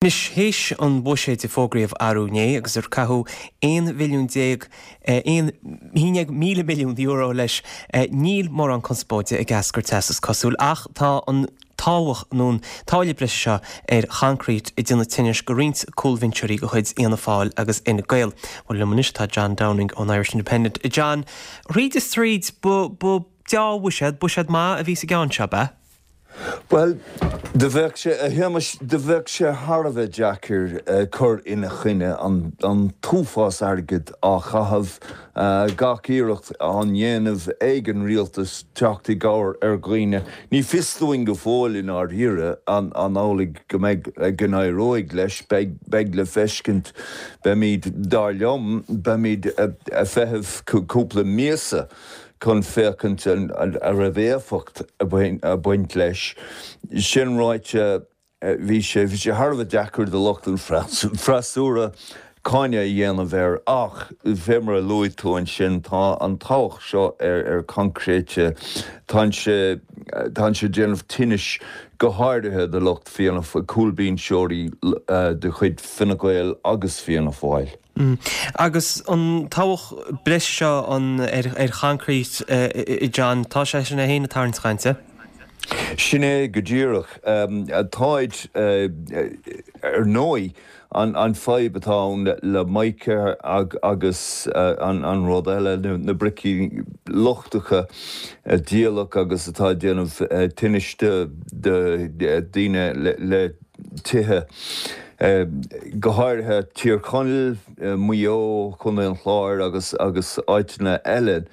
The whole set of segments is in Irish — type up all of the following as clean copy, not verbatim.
Anois, théis an bhuiséid a fógraíodh arú inné agus ar caitheadh 11 bhilliún, 11,000 milliún euro leis, níl mórán conspóide ag eascairt as, is cosúil, ach tá an tobhach nó an táille breise seo ar choincreít ag déanamh tinnis go roinnt cúlbhinseoirí de chuid Fhianna Fáil agus Fhine Gael. Bhuel, liom anois tá John Downing ón Irish Independent. John, thríd is tríd, ba dea-bhuiséad, buiséad maith a bhí sa gceann seo, ab ea? Bhuel, do bheadh sé, a Shéamais, do bheadh sé thar a bheith deacair cur ina choinne, an t-uafás airgid á chaitheamh, gach iarracht á ndéanamh ag an rialtas teacht i gcabhair ar dhaoine. Ní fios dúinn go fóill i ndáiríre an amhlaidh go mbeidh, go n-éireoidh leis, beidh, beidh le feiscint, beimid, dar liom, beimid ag feitheamh cúpla míosa chun féachaint an raibh éifeacht ag baint leis. Sin ráite, bhí sé bhí sé thar a bheith deacair do lucht an freasúra cáineadh a dhéanamh air ach, fé mar a luaigh tú ansin, tá an tobhach seo ar choincréite, tá sé tá sé ag déanamh tinnis go háirithe do lucht Fianna, cúlbhinseoirí de chuid Fine Gael agus Fianna Fáil. Agus an tobhach breise seo ar choincreít, a John, tá sé sin é féin ag tarraingt cainte? Sin é go díreach. Táid, ar ndóigh, an fadhb atá ann le mica agus an rud eile, na bricí lochtacha diabhalach agus atá ag déanamh tinnis do dhaoine le tithe, go háirithe Tír Chonaill, Maigh Eo, Contae an Chláir agus agus áiteanna eile.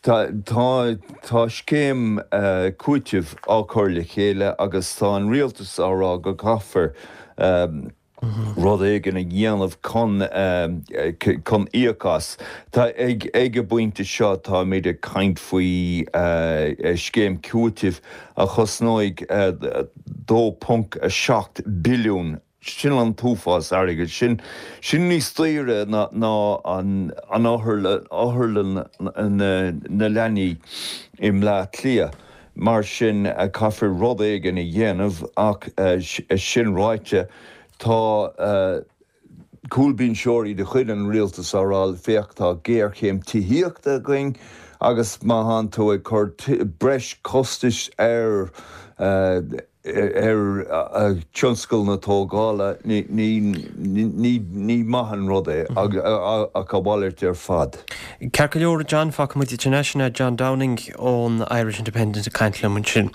Tá tá scéim cúitimh á cur le chéile agus tá an rialtas á rá go gcaithfear rud éigin a dhéanamh chun chun íoc as. Tá ag ag an bpointe seo táimid ag caint faoi scéim cúitimh a chosnóidh 2.7 billiún, sin an t-uafás airgid, sin sin níos daoire ná an otharlann na leanaí i mBleá Cliath. Mar sin caithfear rud éigin a dhéanamh ach sin ráite tá cúlbhinseoirí de chuid an rialtais á rá, féach tá géarchéim tithíochta againn agus má thánn tú ag cur breis costais ar ar tionscal na tógála, ní ní maith an rud é ach a mhalairt ar fad. Ceart go leor, John, fágfaidh muid ansin é, sin é John Downing ón Irish Independent ag caint liom ansin.